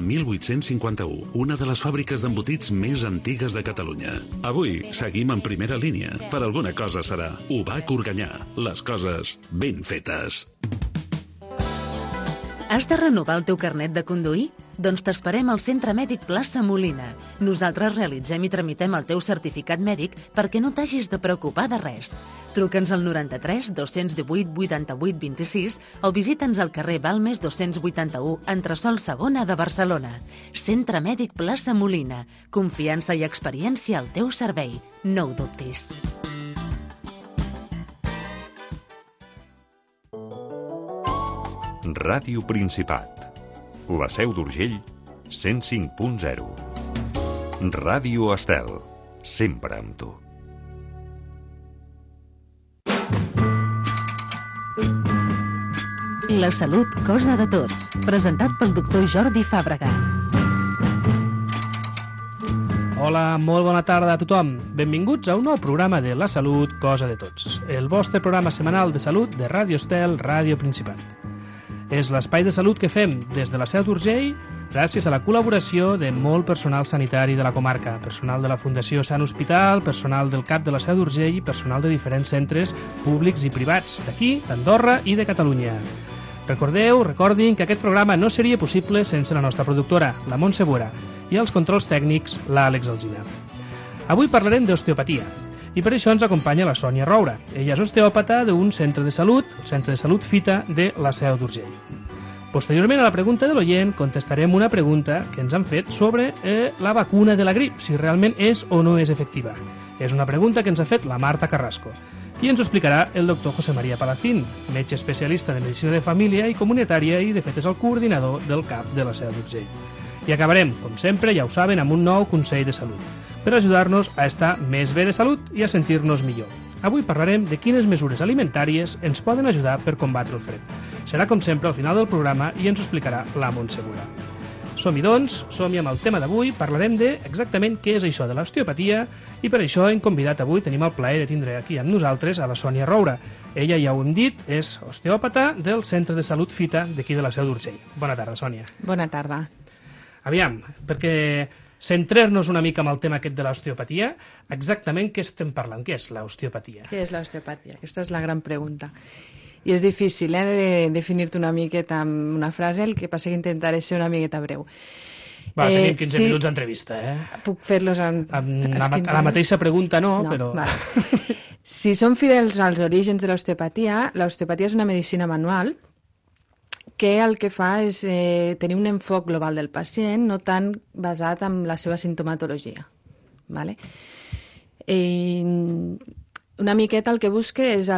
a 1851, una de les fàbriques d'embotits més antigues de Catalunya. Avui seguim en primera línia. Per alguna cosa serà. UBAC Organyà. Les coses ben fetes. Has de renovar el teu carnet de conduir? Doncs t'esperem al Centre Mèdic Plaça Molina. Nosaltres realitzem i tramitem el teu certificat mèdic perquè no t'hagis de preocupar de res. Truca'ns al 93 218 88 26 o visita'ns al carrer Balmes 281, entresòl segona de Barcelona. Centre Mèdic Plaça Molina. Confiança i experiència al teu servei. No ho dubtis. Ràdio Principat. La Seu d'Urgell, 105.0. Ràdio Estel, sempre amb tu. La salut, cosa de tots. Presentat pel doctor Jordi Fàbrega. Hola, molt bona tarda a tothom. Benvinguts a un nou programa de La Salut, cosa de tots. El vostre programa setmanal de salut de Ràdio Estel, Ràdio Principat. És l'espai de salut que fem des de la Seu d'Urgell gràcies a la col·laboració de molt personal sanitari de la comarca, personal de la Fundació Sant Hospital, personal del CAP de la Seu d'Urgell i personal de diferents centres públics i privats d'aquí, d'Andorra i de Catalunya. Recordin que aquest programa no seria possible sense la nostra productora, la Montse Bora, i els controls tècnics, l'Àlex Alsina. Avui parlarem d'osteopatia. I per això ens acompanya la Sònia Roura. Ella és osteòpata d'un centre de salut, el Centre de Salut Fita de la Seu d'Urgell. Posteriorment a la pregunta de l'oient contestarem una pregunta que ens han fet sobre la vacuna de la grip, si realment és o no és efectiva. És una pregunta que ens ha fet la Marta Carrasco. I ens ho explicarà el doctor José María Palacín, metge especialista de Medicina de Família i Comunitària i de fet és el coordinador del CAP de la Seu d'Urgell. I acabarem, com sempre, ja ho saben, amb un nou consell de salut, per ajudar-nos a estar més bé de salut i a sentir-nos millor. Avui parlarem de quines mesures alimentàries ens poden ajudar per combatre el fred. Serà, com sempre, al final del programa i ens ho explicarà la Montse Bora. Som-hi, doncs, som-hi amb el tema d'avui. Parlarem de exactament què és això de l'osteopatia i per això hem convidat avui, tenim el plaer de tindre aquí amb nosaltres a la Sònia Roura. Ella, ja ho hem dit, és osteòpata del Centre de Salut Fita d'aquí de la Seu d'Urgell. Bona tarda, Sònia. Bona tarda. Aviam, perquè centrar-nos una mica amb el tema aquest de l'osteopatia, exactament què estem parlant? Què és l'osteopatia? Què és l'osteopatia? Aquesta és la gran pregunta. I és difícil de definir-te una miqueta amb una frase, el que passa que intentaré ser una miqueta breu. Tenim 15 minuts d'entrevista, Puc fer-los a la mateixa pregunta no, però... Vale. Si som fidels als orígens de l'osteopatia és una medicina manual que el que fa és tenir un enfoc global del pacient, no tant basat en la seva sintomatologia. Vale? Una miqueta el que busca és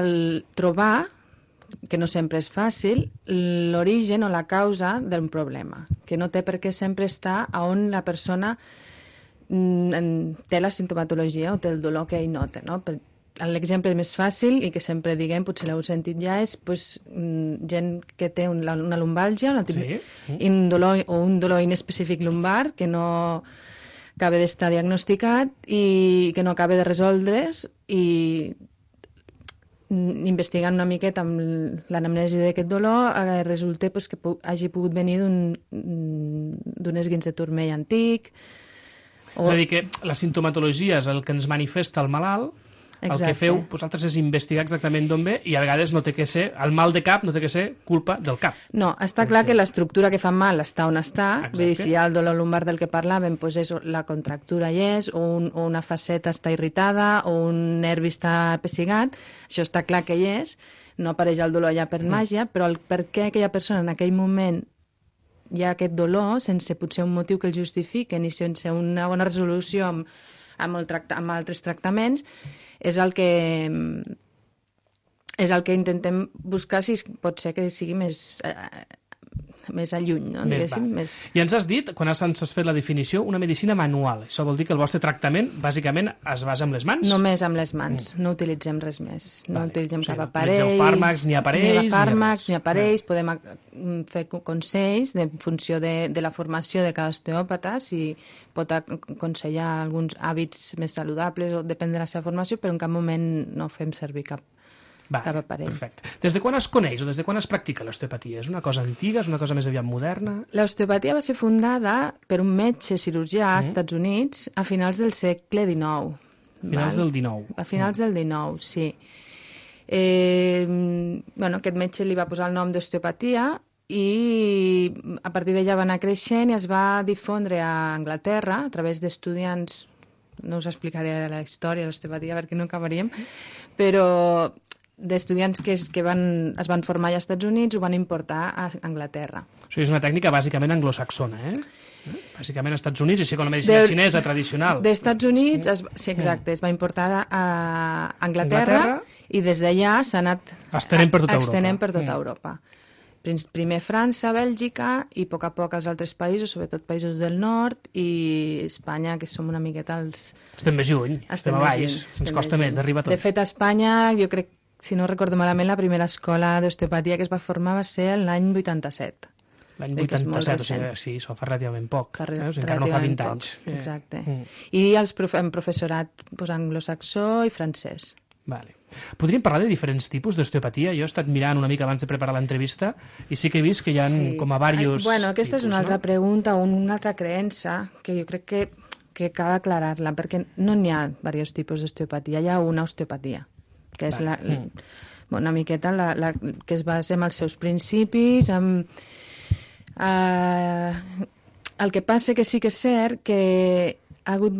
trobar, que no sempre és fàcil, l'origen o la causa d'un problema, que no té per què sempre estar on la persona té la sintomatologia o té el dolor que ell nota, no? L'exemple més fàcil, i que sempre diguem, potser l'heu sentit ja, és gent que té una lumbàlgia, un dolor inespecífic lumbar, que no acaba d'estar diagnosticat i que no acaba de resoldre's, i investigant una miqueta amb l'anamnesi d'aquest dolor resulta que hagi pogut venir d'un esguins de turmell antic. És a dir, que la sintomatologia és el que ens manifesta el malalt. Exacte. El que feu vosaltres és investigar exactament d'on ve i a vegades no té que ser, el mal de cap no té que ser culpa del cap. No, està clar que l'estructura que fa mal està on està. Vull dir, si hi ha el dolor lumbar del que parlàvem, doncs la contractura hi és, o una faceta està irritada, o un nervi està pessigat, això està clar que hi és, no apareix el dolor ja per màgia, però per què aquella persona en aquell moment hi ha aquest dolor, sense potser un motiu que el justifiquen i sense una bona resolució amb altres tractaments, és el que intentem buscar, si pot ser que sigui més a lluny, no? I ens has dit, quan ens has fet la definició, una medicina manual. Això vol dir que el vostre tractament, bàsicament, es basa en les mans? Només amb les mans, no utilitzem res més. No utilitzem cap aparell. No utilitzeu fàrmacs, ni aparells, ni aparells. Podem fer consells en funció de la formació de cada osteòpata, si pot aconsellar alguns hàbits més saludables, o depèn de la seva formació, però en cap moment no fem servir cap cap aparell. Perfecte. Des de quan es coneix o des de quan es practica l'osteopatia? És una cosa antiga, és una cosa més aviat moderna? L'osteopatia va ser fundada per un metge cirurgià als Estats Units a finals del segle XIX. Finals del XIX. A finals del XIX, sí. Aquest metge li va posar el nom d'osteopatia i a partir d'allà va anar creixent i es va difondre a Anglaterra a través d'estudiants, no us explicaré la història de l'osteopatia perquè no acabaríem, però d'estudiants que es van formar allà als Estats Units ho van importar a Anglaterra. Això és una tècnica bàsicament anglosaxona, Bàsicament als Estats Units, així com la medicina xinesa tradicional. Dels Estats Units, sí, exacte, es va importar a Anglaterra i des d'allà s'ha anat estenent per tota Europa. Primer França, Bèlgica i a poc els altres països, sobretot països del nord i Espanya, que som una miqueta els... Estem més lluny, estem a baix, ens costa més d'arribar tot. De fet, a Espanya, jo crec, si no recordo malament, la primera escola d'osteopatia que es va formar va ser l'any 87. L'any 87, o sigui, sí, això fa relativament poc, encara no fa 20 anys. Exacte. I en professorat anglosaxó i francès. Vale. Podríem parlar de diferents tipus d'osteopatia? Jo he estat mirant una mica abans de preparar l'entrevista i sí que he vist que hi ha com a diversos aquesta és una altra pregunta o una altra creença que jo crec que cal aclarar-la, perquè no n'hi ha diversos tipus d'osteopatia, hi ha una osteopatia, que és una miqueta que es basa en els seus principis, el que passa que sí que és cert que ha hagut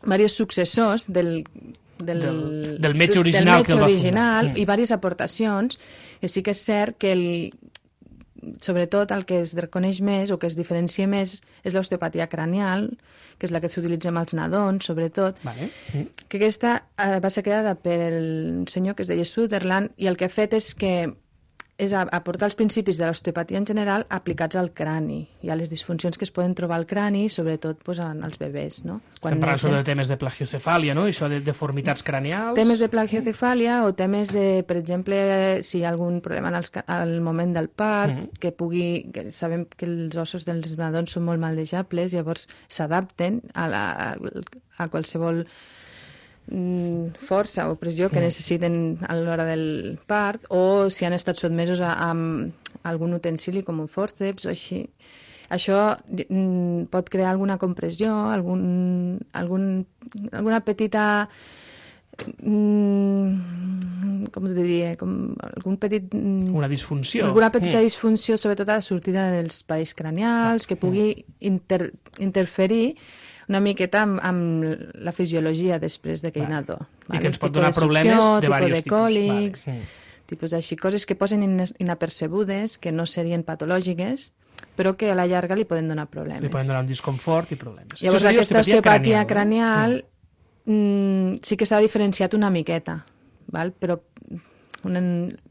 diversos successors del metge original, i diverses aportacions, que sí que és cert que sobretot el que es reconeix més o que es diferencia més és l'osteopatia cranial, que és la que s'utilitza amb els nadons, sobretot, que aquesta va ser creada pel senyor que es deia Sutherland i el que ha fet és aportar els principis de l'osteopatia en general aplicats al crani i a les disfuncions que es poden trobar al crani, sobretot en els bebès. No? Estem parlant sobre temes de plagiocefàlia, no? Això de deformitats cranials... Temes de plagiocefàlia o temes de, per exemple, si hi ha algun problema al moment del part, que sabem que els ossos dels nadons són molt maldejables, llavors s'adapten a qualsevol força o pressió que necessiten a l'hora del part, o si han estat sotmesos a algun utensili com un fòrceps o així. Això pot crear alguna compressió, alguna petita com te diria, algun petit... Una disfunció. Alguna petita disfunció, sobretot a la sortida dels parells cranials, que pugui interferir una miqueta amb la fisiologia després d'aquell nadó. I que ens pot donar problemes de diversos tipus. Còlics, tipus així, coses que posen inapercebudes, que no serien patològiques, però que a la llarga li poden donar problemes. Li poden donar un disconfort i problemes. Llavors aquesta osteopatia cranial sí que s'ha diferenciat una miqueta, però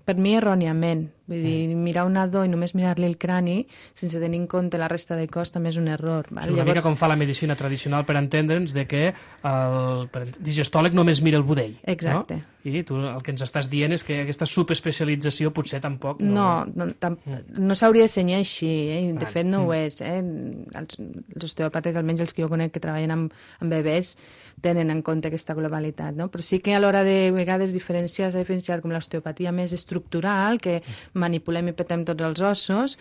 per mi erròniament. Vull dir, mirar un nadó i només mirar-li el crani sense tenir en compte la resta de cos també és un error. És una mica com fa la medicina tradicional per entendre'ns de que el digestòleg només mira el budell. Exacte. No? I tu el que ens estàs dient és que aquesta subespecialització potser tampoc... No s'hauria de senyar així, de fet no ho és. Els osteòpates, almenys els que jo conec que treballen amb bebès, tenen en compte aquesta globalitat, no? Però sí que a l'hora de vegades s'ha diferenciat com l'osteopatia més estructural, que manipulem i petem tots els ossos,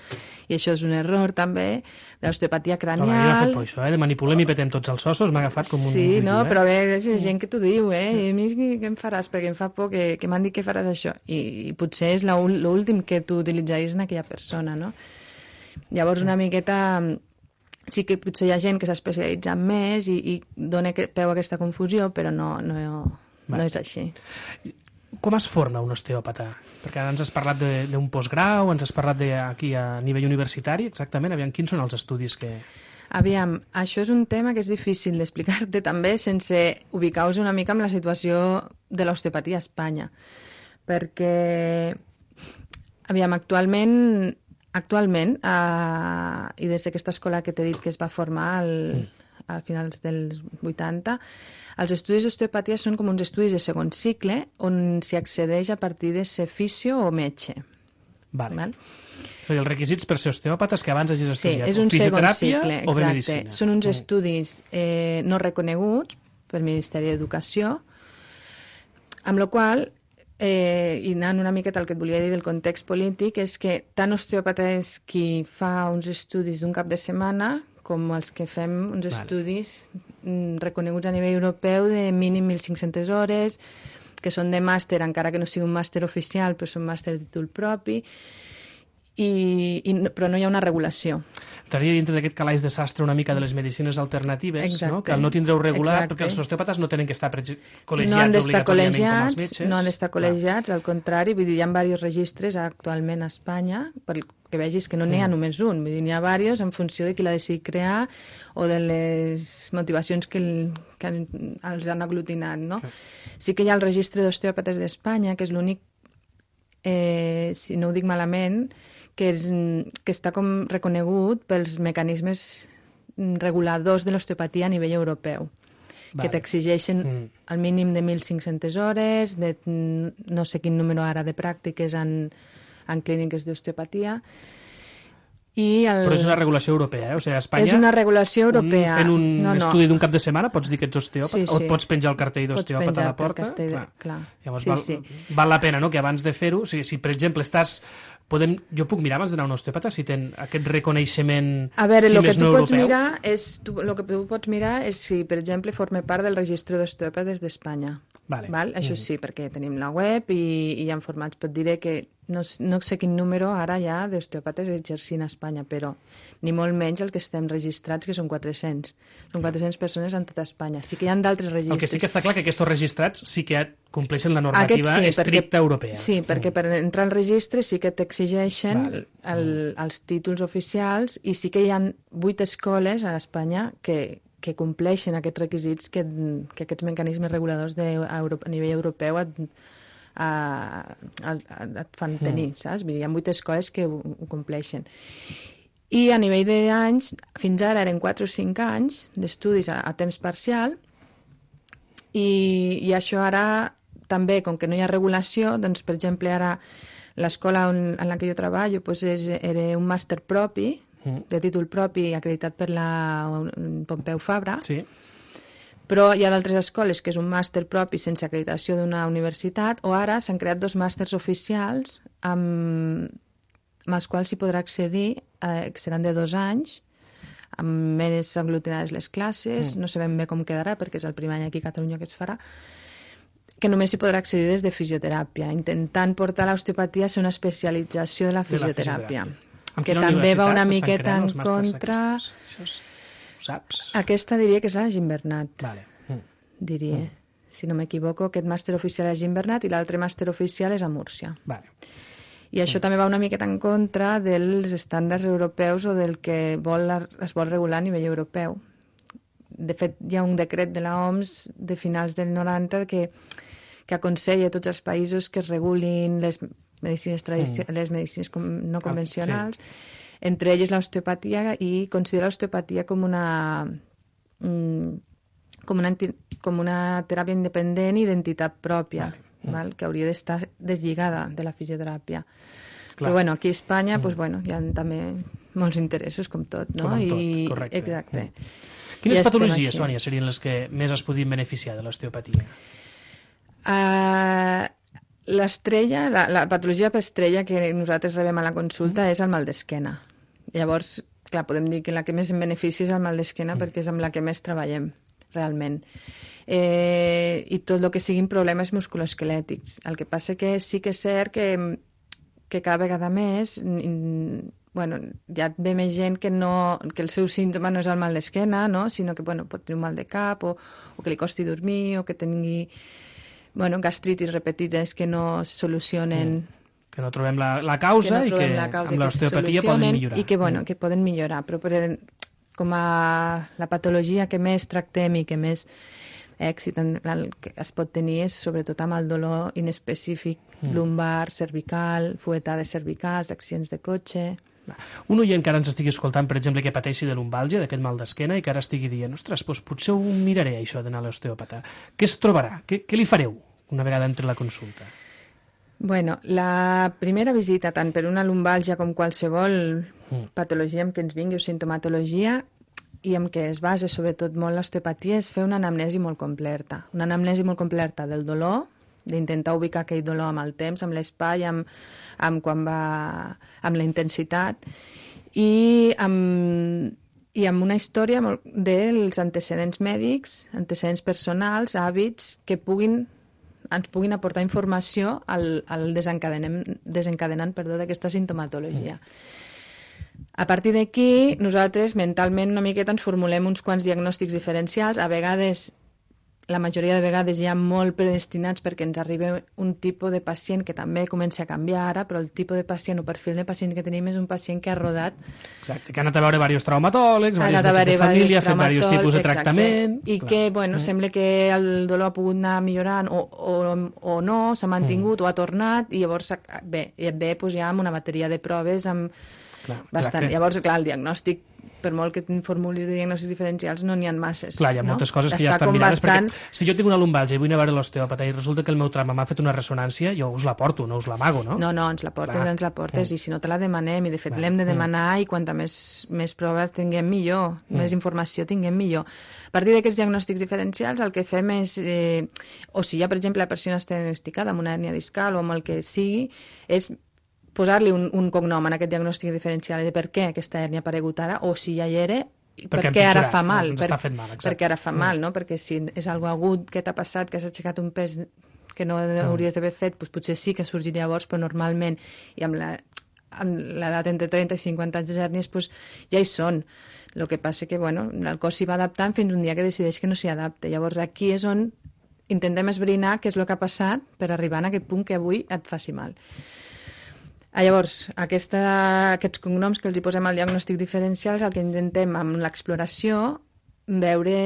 i això és un error també, de l'osteopatia cranial... Jo no he fet por això, de manipulem i petem tots els ossos, m'ha agafat com un... Sí, no, però és gent que t'ho diu, i a mi què em faràs? Perquè em fa por que m'han dit que faràs això, i potser és l'últim que tu utilitzaries en aquella persona, no? Llavors una miqueta... Sí que potser hi ha gent que s'ha especialitzat més i dona peu a aquesta confusió, però no és així. Com es forma un osteòpata? Perquè ara ens has parlat d'un postgrau, ens has parlat aquí a nivell universitari, exactament. Aviam, quins són els estudis que... Aviam, això és un tema que és difícil d'explicar-te també sense ubicar-vos una mica en la situació de l'osteopatia a Espanya. Perquè, aviam, actualment, i des d'aquesta escola que t'he dit que es va formar a finals dels 80, els estudis d'osteopatia són com uns estudis de segon cicle on s'hi accedeix a partir de ser fisio o metge. Vale. És a dir, els requisits per ser osteòpates que abans hagis estudiat. Sí, és un segon cicle, o bé medicina. Són uns estudis no reconeguts pel Ministeri d'Educació. Amb la qual cosa, i anant una miqueta al que et volia dir del context polític, és que tant osteòpata és qui fa uns estudis d'un cap de setmana com els que fem uns estudis reconeguts a nivell europeu de mínim 1.500 hores, que són de màster, encara que no sigui un màster oficial, però són màster de títol propi, però no hi ha una regulació. Estaria dintre d'aquest calaix de sastre una mica de les medicines alternatives, no? Que al no tindreu regular, perquè els osteòpates no tenen que estar col·legiats obligatòriament com els metges. No han d'estar col·legiats, al contrari, vull dir, hi ha diversos registres actualment a Espanya, perquè vegis que no n'hi ha només un, vull dir, n'hi ha diversos en funció de qui l'ha decidit crear o de les motivacions que els han aglutinat, no? Sí que hi ha el registre d'osteòpates d'Espanya, que és l'únic, si no ho dic malament, que està com reconegut pels mecanismes reguladors de l'osteopatia a nivell europeu, que t'exigeixen el mínim de 1.500 hores, de no sé quin número ara de pràctiques en clíniques d'osteopatia. Però és una regulació europea, O sigui, a Espanya... És una regulació europea. Fent un estudi d'un cap de setmana pots dir que ets osteòpata? O et pots penjar el cartell d'osteòpata a la porta? Clar. Llavors val la pena, que abans de fer-ho, si per exemple estàs... Jo puc mirar abans d'anar a un osteòpata si ten aquest reconeixement, a veure, si més no europeu? El que tu pots mirar és si, per exemple, forma part del registre d'osteòpates d'Espanya. Val? Això sí, perquè tenim la web i hi ha formats. Pot dir que no sé quin número ara hi ha d'osteòpates exercint a Espanya, però ni molt menys el que estem registrats, que són 400. Són 400 persones en tota Espanya. Sí que hi ha d'altres registres. El que sí que està clar que aquests registrats sí que compleixen la normativa estricta europea. Sí, perquè per entrar al registre sí que t'exigeixen els títols oficials i sí que hi ha 8 escoles a Espanya que compleixen aquests requisits que aquests mecanismes reguladors a nivell europeu et fan tenir, saps? Hi ha 8 escoles que ho compleixen. I a nivell d'anys, fins ara eren 4 o 5 anys d'estudis a temps parcial i això ara també, com que no hi ha regulació, doncs, per exemple, ara l'escola en la que jo treballo era un màster propi, de títol propi, acreditat per la Pompeu Fabra, però hi ha d'altres escoles que és un màster propi sense acreditació d'una universitat, o ara s'han creat 2 màsters oficials amb els quals s'hi podrà accedir, que seran de 2 anys, amb més aglutinades les classes, no sabem bé com quedarà perquè és el primer any aquí a Catalunya que es farà, que només s'hi podrà accedir des de fisioteràpia, intentant portar l'osteopatia a ser una especialització de la fisioteràpia. Que també va una miqueta en contra... Ho saps? Aquesta diria que és a Gimbernat. Diria. Si no m'equivoco, aquest màster oficial és a Gimbernat i l'altre màster oficial és a Múrcia. I això també va una miqueta en contra dels estàndards europeus o del que es vol regular a nivell europeu. De fet, hi ha un decret de l'OMS de finals del 90 que aconsella a tots els països que es regulin les medicines no convencionals, entre elles l'osteopatia, i considera l'osteopatia com una teràpia independent i d'entitat pròpia, que hauria d'estar deslligada de la fisioteràpia. Però bueno, aquí a Espanya hi ha també molts interessos, com tot, no? Com tot, correcte. Exacte. Quines patologies, Sònia, serien les que més es podien beneficiar de l'osteopatia? L'estrella, la patologia per estrella que nosaltres rebem a la consulta és el mal d'esquena. Llavors, clar, podem dir que la que més en beneficia és el mal d'esquena perquè és amb la que més treballem, realment. I tot el que siguin problemes musculoesquelètics. El que passa que sí que és cert que cada vegada més ja ve més gent que el seu símptoma no és el mal d'esquena, no? Sinó que pot tenir un mal de cap o que li costi dormir o que tingui gastritis repetides que no es solucionen. Que no trobem la causa i que amb l'osteopatia poden millorar. I que poden millorar, però com a la patologia que més tractem i que més èxit que es pot tenir és sobretot amb el dolor inespecífic lumbar, cervical, fuetades cervicals, accidents de cotxe. Un oient que ara ens estigui escoltant, per exemple, que pateixi de lumbàlgia, d'aquest mal d'esquena, i que ara estigui dient, ostres, doncs potser ho miraré, això d'anar a l'osteòpata. Què es trobarà? Què li fareu una vegada entri a la consulta? Bueno, la primera visita, tant per una lumbàlgia com qualsevol patologia amb què ens vingui o sintomatologia, i amb què es basa sobretot molt l'osteopatia, és fer una anamnesi molt completa. Una anamnesi molt completa del dolor, d'intentar ubicar aquell dolor amb el temps, amb l'espai, amb la intensitat, i amb una història dels antecedents mèdics, antecedents personals, hàbits, que ens puguin aportar informació al desencadenant d'aquesta sintomatologia. A partir d'aquí, nosaltres mentalment una miqueta ens formulem uns quants diagnòstics diferencials. A vegades, la majoria de vegades ja molt predestinats perquè ens arriba un tipus de pacient que també comença a canviar ara, però el tipus de pacient o perfil de pacient que tenim és un pacient que ha rodat. Exacte, que ha anat a veure diversos traumatòlegs, diversos metges de família, ha fet diversos tipus de tractament. I que, bueno, sembla que el dolor ha pogut anar millorant o no, s'ha mantingut o ha tornat, i llavors bé, doncs ja amb una bateria de proves bastant. Llavors, clar, el diagnòstic, per molt que formulis de diagnòstics diferencials, no n'hi ha masses. Clar, hi ha moltes coses que ja estan mirades, perquè si jo tinc una lumbalgia i vull anar a veure l'osteòpata i resulta que el meu trauma m'ha fet una ressonància, jo us la porto, no us l'amago, no? No, ens la portes, i si no te la demanem, i de fet l'hem de demanar, i quanta més proves tinguem millor, més informació tinguem millor. A partir d'aquests diagnòstics diferencials el que fem és, o si ja, per exemple, la persona està diagnosticada amb una hèrnia discal o amb el que sigui, és posar-li un cognom en aquest diagnòstic diferencial de per què aquesta hèrnia ha aparegut ara, o si ja hi era, per què ara fa mal. Perquè ara fa mal, no? Perquè si és algo agut que t'ha passat, que has aixecat un pes que no hauries d'haver fet, doncs potser sí que ha sorgit llavors, però normalment, i amb l'edat entre 30 i 50 anys de hèrnies, doncs ja hi són. El que passa que, bueno, el cos s'hi va adaptant fins un dia que decideix que no s'hi adapta. Llavors aquí és on intentem esbrinar què és el que ha passat per arribar a aquest punt que avui et faci mal. Llavors, aquests cognoms que els hi posem al diagnòstic diferencial, el que intentem amb l'exploració veure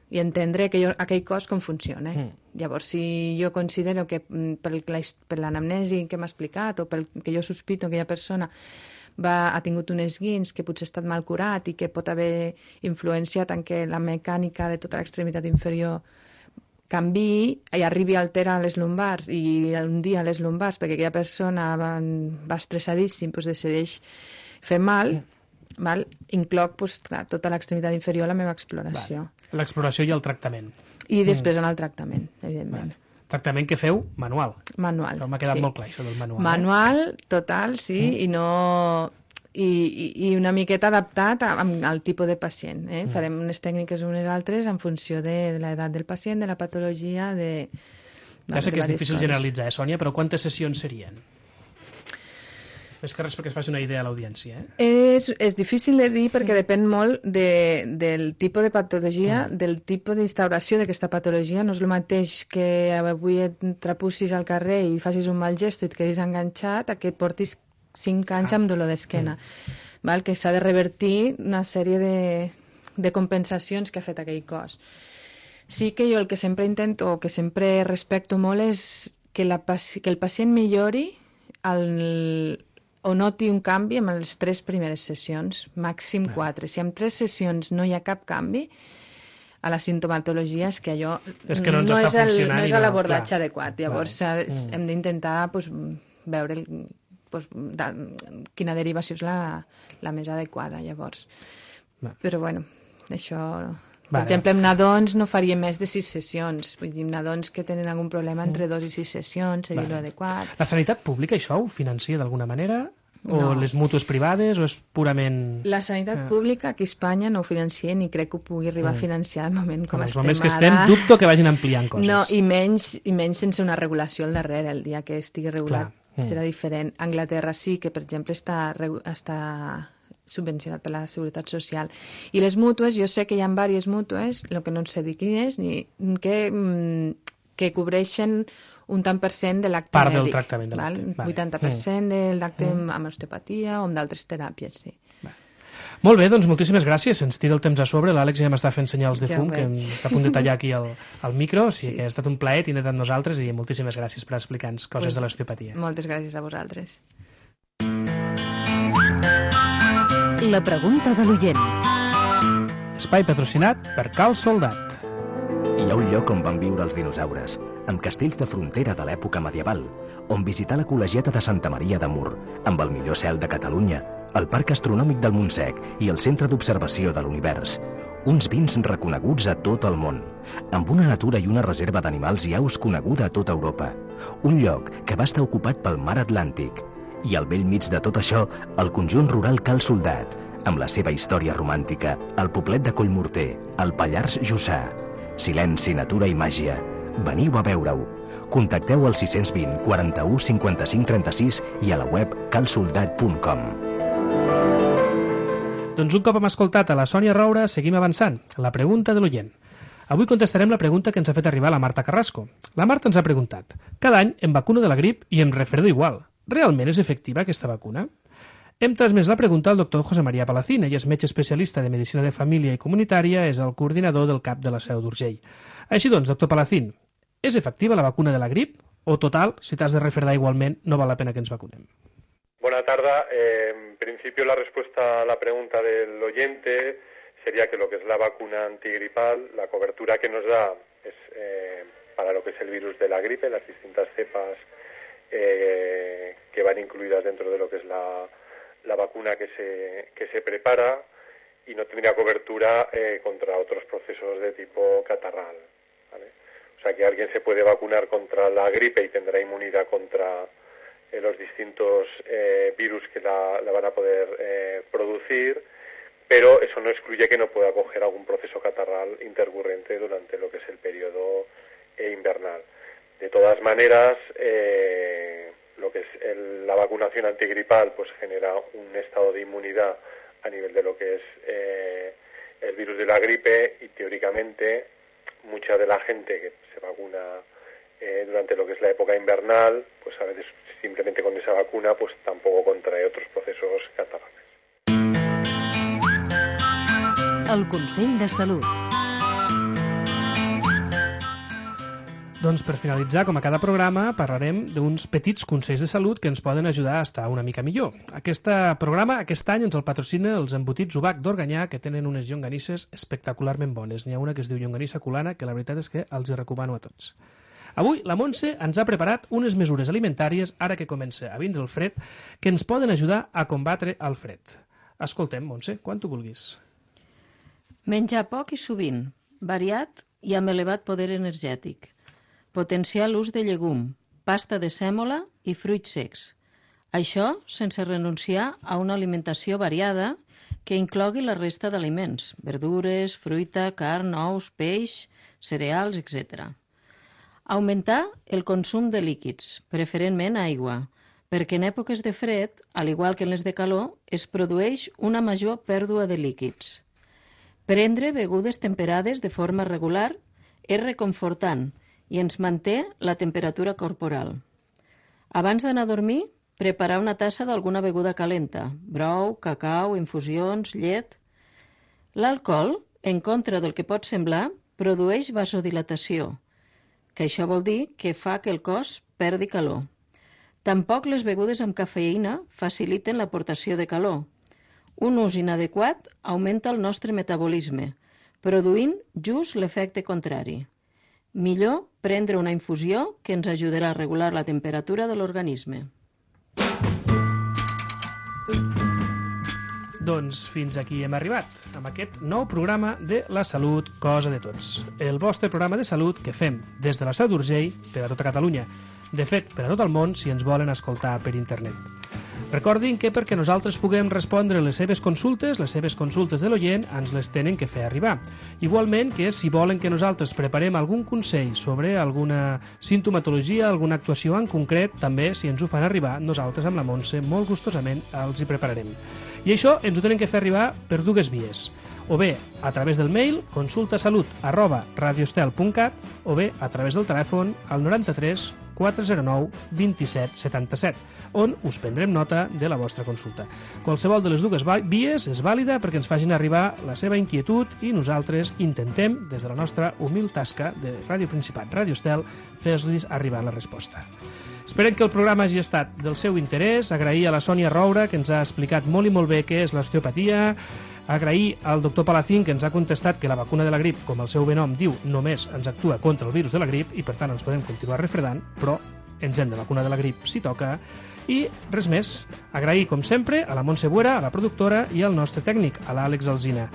i entendre aquell cos com funciona. Llavors, si jo considero que per l'anamnesi que m'ha explicat o pel que jo sospito que aquella persona ha tingut un esguins que potser ha estat mal curat i que pot haver influenciat en què la mecànica de tota l'extremitat inferior canviï i arribi a alterar les lumbars, i un dia les lumbars, perquè aquella persona va estressadíssim, decideix fer mal, incloc tota l'extremitat inferior a la meva exploració. L'exploració i el tractament. I després en el tractament, evidentment. Tractament que feu manual. Manual, m'ha quedat molt clar, això del manual. Manual, total, sí, i no... I una miqueta adaptat al tipus de pacient. Farem unes tècniques unes altres en funció de l'edat del pacient, de la patologia, Ja sé que és difícil generalitzar, Sònia, però quantes sessions serien? Més que res perquè es faci una idea a l'audiència. És difícil de dir perquè depèn molt del tipus de patologia, del tipus d'instauració d'aquesta patologia. No és el mateix que avui et trapussis al carrer i facis un mal gest i et quedis enganxat a que et portis 5 anys amb dolor d'esquena, que s'ha de revertir una sèrie de compensacions que ha fet aquell cos. Sí que jo el que sempre intento, o que sempre respecto molt, és que el pacient millori o noti un canvi en les 3 primeres sessions, màxim 4. Si en 3 sessions no hi ha cap canvi, a la sintomatologia és que allò no és l'abordatge adequat. Llavors hem d'intentar veure quina derivació és la més adequada, llavors. Però, bueno, això... Per exemple, amb nadons no faria més de 6 sessions. Vull dir, nadons que tenen algun problema entre 2 i 6 sessions seria l'adequat. La sanitat pública això ho financia d'alguna manera? O les mútues privades? O és purament... La sanitat pública aquí a Espanya no ho financia ni crec que ho pugui arribar a financiar de moment com estem ara. Els moments que estem, dubto que vagin ampliant coses. No, i menys sense una regulació al darrere. El dia que estigui regulat serà diferent. Anglaterra sí que, per exemple, està subvencionat per la Seguretat Social. I les mútues, jo sé que hi ha diverses mútues, el que no sé dir quin és, que cobreixen un tant per cent de l'acte mèdic. Part del tractament de l'acte. 80% de l'acte amb osteopatia o amb d'altres teràpies, sí. Molt bé, doncs moltíssimes gràcies. Ens tira el temps a sobre. L'Àlex ja m'està fent senyals de fum, que està a punt de tallar aquí el micro. O sigui que ha estat un plaer tindre't amb nosaltres i moltíssimes gràcies per explicar-nos coses de l'osteopatia. Moltes gràcies a vosaltres. La pregunta de l'oient. Espai patrocinat per Cal Soldat. Hi ha un lloc on van viure els dinosaures, amb castells de frontera de l'època medieval, on visitar la col·legiata de Santa Maria de Mur, amb el millor cel de Catalunya, el Parc Astronòmic del Montsec i el Centre d'Observació de l'Univers. uns vins reconeguts a tot el món, amb una natura i una reserva d'animals i aus coneguda a tota Europa, un lloc que va estar ocupat pel mar Atlàntic, i al bell mig de tot això, el conjunt rural Cal Soldat, amb la seva història romàntica, el poblet de Collmorter, el Pallars Jussà. Silenci, natura i màgia. Veniu a veure-ho. Contacteu al 620 41 55 36 i a la web calsoldat.com. Doncs un cop hem escoltat a la Sònia Roura, seguim avançant. La pregunta de l'oient. Avui contestarem la pregunta que ens ha fet arribar la Marta Carrasco. La Marta ens ha preguntat: cada any em vacuno de la grip i em refredo igual. Realment és efectiva aquesta vacuna? Hem transmès la pregunta al doctor José María Palacín. Ell és metge especialista de Medicina de Família i Comunitària, és el coordinador del CAP de la Seu d'Urgell. Així doncs, doctor Palacín, ¿es efectiva la vacuna de la grip? O total, si t'has de refredar igualment, no val la pena que ens vacunem? Buena tarde. En principio la respuesta a la pregunta del oyente sería que lo que es la vacuna antigripal, la cobertura que nos da es para lo que es el virus de la gripe, las distintas cepas que van incluidas dentro de lo que es la vacuna que se prepara, y no tendría cobertura contra otros procesos de tipo catarral, ¿vale? O sea que alguien se puede vacunar contra la gripe y tendrá inmunidad contra los distintos virus que la van a poder producir, pero eso no excluye que no pueda coger algún proceso catarral intercurrente durante lo que es el periodo invernal. De todas maneras, lo que es la vacunación antigripal pues genera un estado de inmunidad a nivel de lo que es el virus de la gripe, y teóricamente mucha de la gente que se vacuna durante lo que es la época invernal, pues a veces simplemente con esa vacuna pues tampoco contrae otros procesos catarrales. El Consell de Salut. Doncs per finalitzar, com a cada programa, parlarem d'uns petits consells de salut que ens poden ajudar a estar una mica millor. Aquest programa, aquest any, ens el patrocina els embotits Ubac d'Organyà, que tenen unes llonganisses espectacularment bones. N'hi ha una que es diu llonganissa culana, que la veritat és que els hi recomano a tots. Avui la Montse ens ha preparat unes mesures alimentàries, ara que comença a vindre el fred, que ens poden ajudar a combatre el fred. Escoltem, Montse, quan tu vulguis. Menjar poc i sovint, variat i amb elevat poder energètic. Potenciar l'ús de llegum, pasta de sèmola i fruits secs. Això sense renunciar a una alimentació variada que inclogui la resta d'aliments, verdures, fruita, carn, ous, peix, cereals, etc. Augmentar el consum de líquids, preferentment aigua, perquè en èpoques de fred, al igual que en les de calor, es produeix una major pèrdua de líquids. Prendre begudes temperades de forma regular és reconfortant i ens manté la temperatura corporal. Abans d'anar a dormir, preparar una tassa d'alguna beguda calenta, brou, cacau, infusions, llet. L'alcohol, en contra del que pot semblar, produeix vasodilatació, que això vol dir que fa que el cos perdi calor. Tampoc les begudes amb cafeïna faciliten l'aportació de calor. Un ús inadequat augmenta el nostre metabolisme, produint just l'efecte contrari. Millor prendre una infusió que ens ajudarà a regular la temperatura de l'organisme. Doncs fins aquí hem arribat, amb aquest nou programa de La Salut, Cosa de Tots. El vostre programa de salut que fem des de la Seu d'Urgell per a tota Catalunya. De fet, per a tot el món, si ens volen escoltar per internet. Recordin que perquè nosaltres puguem respondre les seves consultes de l'oient, ens les tenen que fer arribar. Igualment que si volen que nosaltres preparem algun consell sobre alguna sintomatologia, alguna actuació en concret, també, si ens ho fan arribar, nosaltres amb la Montse molt gustosament els hi prepararem. I això ens ho tenen que fer arribar per dues vies. O bé a través del mail consultasalut@radiostel.cat o bé a través del telèfon al 93 409 27 77, on us prendrem nota de la vostra consulta. Qualsevol de les dues vies és vàlida perquè ens facin arribar la seva inquietud i nosaltres intentem, des de la nostra humil tasca de Ràdio Principat, Ràdio Estel, fer-los arribar la resposta. Esperem que el programa hagi estat del seu interès. Agrair a la Sònia Roura, que ens ha explicat molt i molt bé què és l'osteopatia. Agrair al doctor Palacín, que ens ha contestat que la vacuna de la grip, com el seu nom diu, només ens actua contra el virus de la grip i per tant ens podem continuar refredant, però ens hem de vacunar de la grip si toca. I res més. Agrair, com sempre, a la Montse Buera, a la productora, i al nostre tècnic, a l'Àlex Alsina.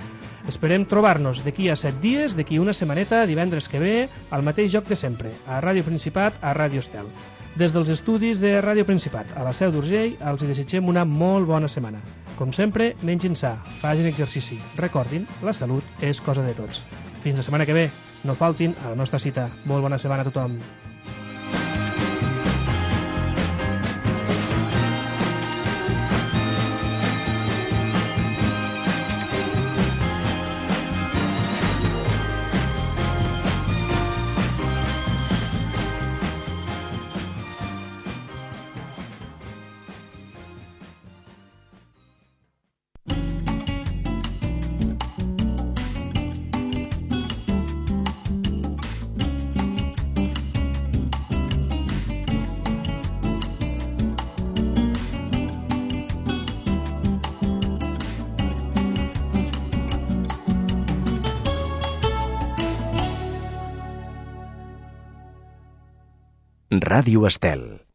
Esperem trobar-nos d'aquí a 7 dies, d'aquí una setmaneta, divendres que ve, al mateix lloc de sempre, a Ràdio Principat, a Ràdio Estel. Des dels estudis de Ràdio Principat, a la Seu d'Urgell, els desitgem una molt bona setmana. Com sempre, mengin sa, facin exercici. Recordin, la salut és cosa de tots. Fins la setmana que ve. No faltin a la nostra cita. Molt bona setmana a tothom. Ràdio Estel.